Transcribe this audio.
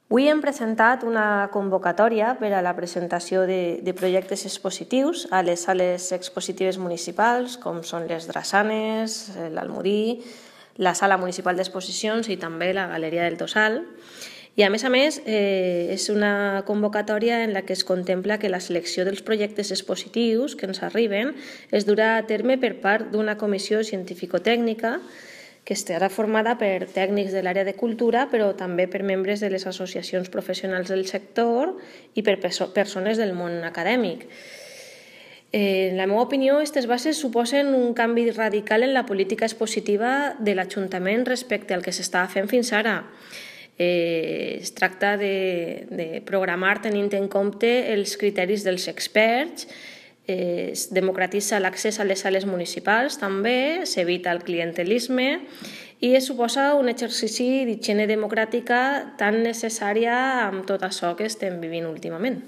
Avui hem presentat una convocatòria per a la presentació de projectes expositius a les sales expositives municipals, com són les Drassanes, l'Almodí, la Sala Municipal d'Exposicions i també la Galeria del Tossal. I a més, és una convocatòria en la que es contempla que la selecció dels projectes expositius que ens arriben es durà a terme per part d'una comissió científico-tècnica que estarà formada per tècnics de l'àrea de cultura, però també per membres de les associacions professionals del sector i per persones del món acadèmic. En la meva opinió, aquestes bases suposen un canvi radical en la política expositiva de l'Ajuntament respecte al que s'estava fent fins ara. Es tracta de programar tenint en compte els criteris dels experts, es democratitza l'accés a les sales municipals també, s'evita el clientelisme i es suposa un exercici d'higiene democràtica tan necessària amb tot això que estem vivint últimament.